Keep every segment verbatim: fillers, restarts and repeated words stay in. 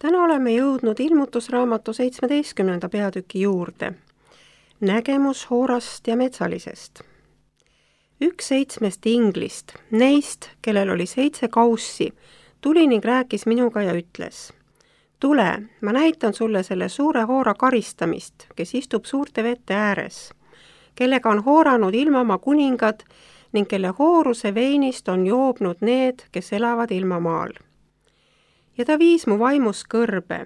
Täna oleme jõudnud ilmutusraamatu seitsmeteistkümnenda peatüki juurde. Nägemus Hoorast ja Metsalisest. Üks seitsmest inglist, neist, kellel oli seitse kaussi, tuli ning rääkis minuga ja ütles: tule, ma näitan sulle selle suure hoora karistamist, kes istub suurte vete ääres, kellega on hooranud ilmamaa kuningad ning kelle hooruse veinist on joobnud need, kes elavad ilmamaal. Ja ta viis mu vaimus kõrbe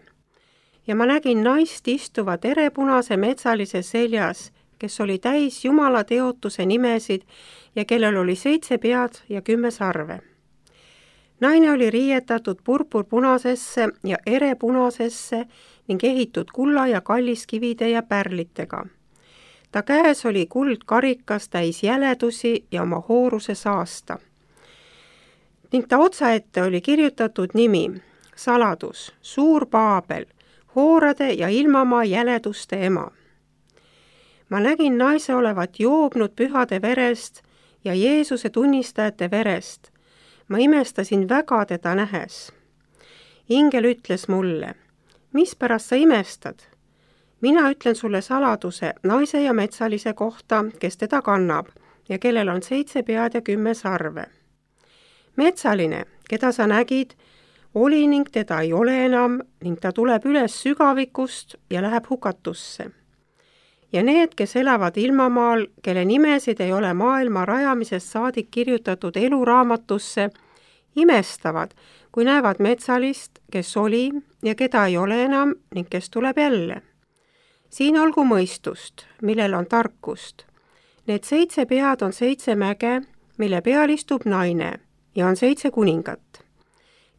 ja ma nägin naist istuvat erepunase metsalise seljas, kes oli täis Jumala teotuse nimesid ja kellel oli seitse pead ja kümme sarve. Naine oli riietatud purpurpunasesse ja erepunasesse ning ehitud kulla ja kalliskivide ja pärlitega. Ta käes oli kuldkarikas täis jäledusi ja oma hooruse saasta. Ning ta otsaette oli kirjutatud nimi, saladus, suur Paabel, hoorade ja ilmamaa jäleduste ema. Ma nägin naise olevat joobnud pühade verest ja Jeesuse tunnistajate verest. Ma imestasin väga teda nähes. Ingel ütles mulle: mispärast sa imestad? Mina ütlen sulle saladuse naise ja metsalise kohta, kes teda kannab ja kellel on seitse pead ja kümme sarve. Metsaline, keda sa nägid, oli ning teda ei ole enam ning ta tuleb üles sügavikust ja läheb hukatusse. Ja need, kes elavad ilmamaal, kelle nimesid ei ole maailma rajamisest saadik kirjutatud eluraamatusse, imestavad, kui näevad metsalist, kes oli ja keda ei ole enam ning kes tuleb jälle. Siin olgu mõistust, millel on tarkust. Need seitse pead on seitse mäge, mille peal istub naine ja on seitse kuningat.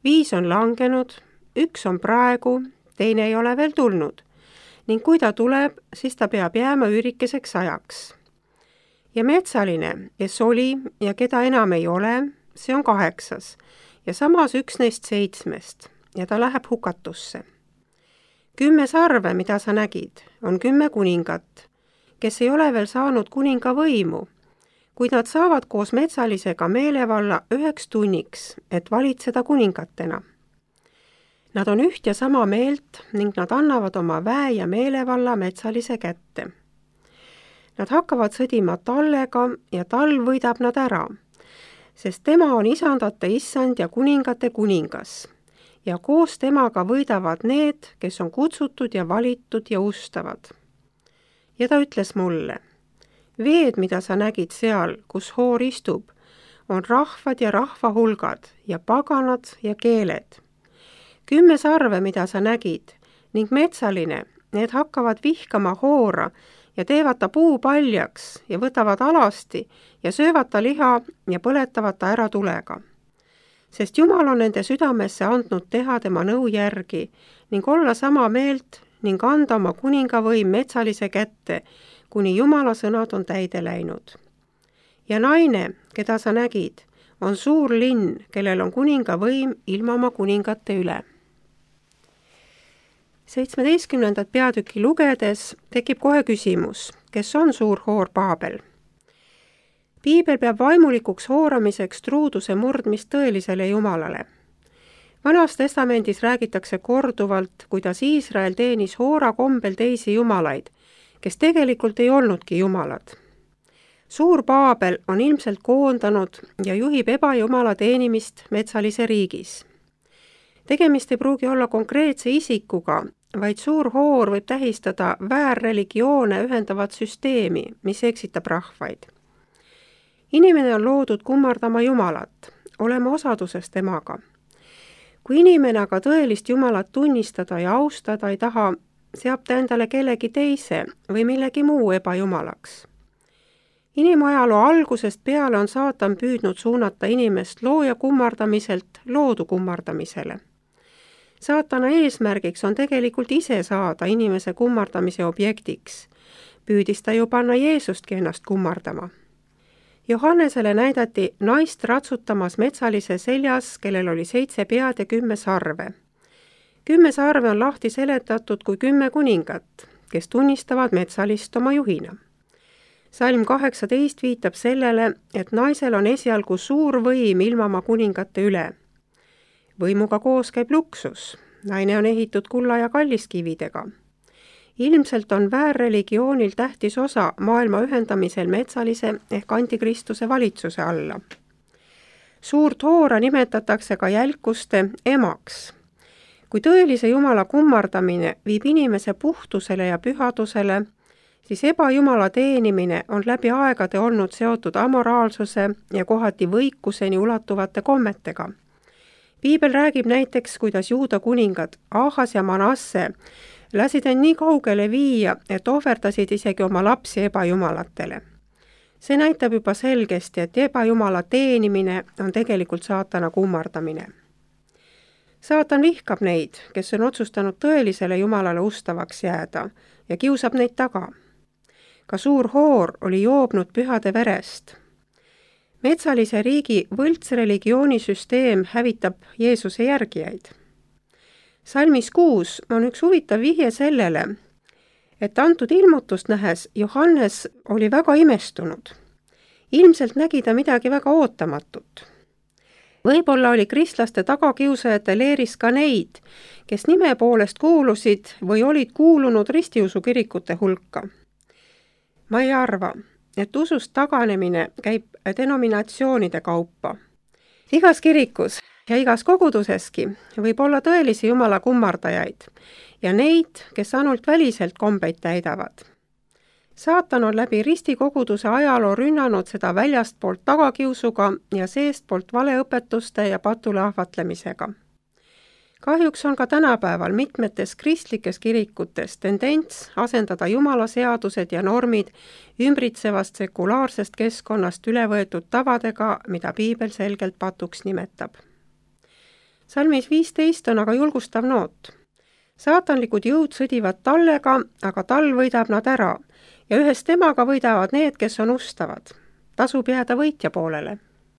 Viis on langenud, üks on praegu, teine ei ole veel tulnud. Ning kui ta tuleb, siis ta peab jääma üürikeseks ajaks. Ja metsaline, kes oli ja keda enam ei ole, see on kaheksas ja samas üks neist seitsmest ja ta läheb hukatusse. Kümme sarve, mida sa nägid, on kümme kuningat, kes ei ole veel saanud kuninga võimu, kuid nad saavad koos metsalisega meelevalla üheks tunniks, et valitseda kuningatena. Nad on üht ja sama meelt ning nad annavad oma väe ja meelevalla metsalise kätte. Nad hakkavad sõdima tallega ja tal võidab nad ära, sest tema on isandate issand ja kuningate kuningas ja koos temaga võidavad need, kes on kutsutud ja valitud ja ustavad. Ja ta ütles mulle: veed, mida sa nägid seal, kus hoor istub, on rahvad ja rahvahulgad ja paganad ja keeled. Kümme sarve, mida sa nägid, ning metsaline, need hakkavad vihkama hoora ja teevad ta puu paljaks ja võtavad alasti ja söövad ta liha ja põletavad ta ära tulega. Sest Jumal on nende südamesse andnud teha tema nõu järgi ning olla sama meelt ning anda oma kuningavõim metsalise kätte, kuni Jumala sõnad on täide läinud. Ja naine, keda sa nägid, on suur linn, kellel on kuningavõim ilmamaa kuningate üle. seitsmeteistkümnendat peatüki lugedes tekib kohe küsimus, kes on suur hoor Paabel? Piibel peab vaimulikuks hooramiseks truuduse murdmist tõelisele Jumalale. Vanas testamendis räägitakse korduvalt, kuidas Iisrael teenis hoora kombel teisi jumalaid, kes tegelikult ei olnudki jumalad. Suur Paabel on ilmselt koondanud ja juhib ebajumala teenimist metsalise riigis. Tegemist ei pruugi olla konkreetse isikuga, vaid suur hoor võib tähistada väärreligioone ühendavat süsteemi, mis eksitab rahvaid. Inimene on loodud kummardama Jumalat, olema osaduses temaga. Kui inimene aga tõelist Jumalat tunnistada ja austada ei taha, seab ta endale kellegi teise või millegi muu ebajumalaks. Inimajaloo algusest peale on saatan püüdnud suunata inimest looja kummardamiselt loodu kummardamisele. Saatana eesmärgiks on tegelikult ise saada inimese kummardamise objektiks. Püüdis ta ju panna Jeesustki ennast kummardama. Johannesele näidati naist ratsutamas metsalise seljas, kellel oli seitse pead ja kümme sarve. Kümme sarve on lahti seletatud kui kümme kuningat, kes tunnistavad metsalist oma juhina. Salm kaheksateist viitab sellele, et naisel on esialgu suur võim ilmamaa kuningate üle. Võimuga koos käib luksus. naine on ehitud kulla ja kalliskividega. Ilmselt on väärreligioonil tähtis osa maailma ühendamisel metsalise ehk antikristuse valitsuse alla. Suurt hoora nimetatakse ka jälkuste emaks. Kui tõelise Jumala kummardamine viib inimese puhtusele ja pühadusele, siis ebajumala teenimine on läbi aegade olnud seotud amoraalsuse ja kohati võikuseni ulatuvate kommetega. Piibel räägib näiteks, kuidas juuda kuningad Ahas ja Manasse lasid end nii kaugele viia, et ohverdasid isegi oma lapsi ebajumalatele. See näitab juba selgesti, et ebajumala teenimine on tegelikult saatana kummardamine. Saatan vihkab neid, kes on otsustanud tõelisele Jumalale ustavaks jääda ja kiusab neid taga. Ka suur hoor oli joobnud pühade verest. Metsalise riigi võltsreligioonisüsteem hävitab Jeesuse järgijaid. Salmis kuus on üks huvitav vihje sellele, et antud ilmutust nähes Johannes oli väga imestunud. Ilmselt nägi ta midagi väga ootamatut. Võib-olla oli kristlaste tagakiusajate leeris ka neid, kes nime poolest kuulusid või olid kuulunud ristiusukirikute hulka. Ma ei arva, et usust taganemine käib denominatsioonide kaupa. Igas kirikus ja igas koguduseski võib olla tõelisi Jumala kummardajaid ja neid, kes ainult väliselt kombeid täidavad. Saatan on läbi ristikoguduse ajaloo rünnanud seda väljastpoolt tagakiusuga ja seestpoolt valeõpetuste ja patule ahvatlemisega. Kahjuks on ka tänapäeval mitmetes kristlikes kirikutes tendents asendada Jumala seadused ja normid ümbritsevast sekulaarsest keskkonnast üle võetud tavadega, mida Piibel selgelt patuks nimetab. Salmis viisteist on aga julgustav noot. Saatanlikud jõud sõdivad tallega, aga tall võidab nad ära ja ühes temaga võidavad need, kes on ustavad. Tasub jääda võitja poolele.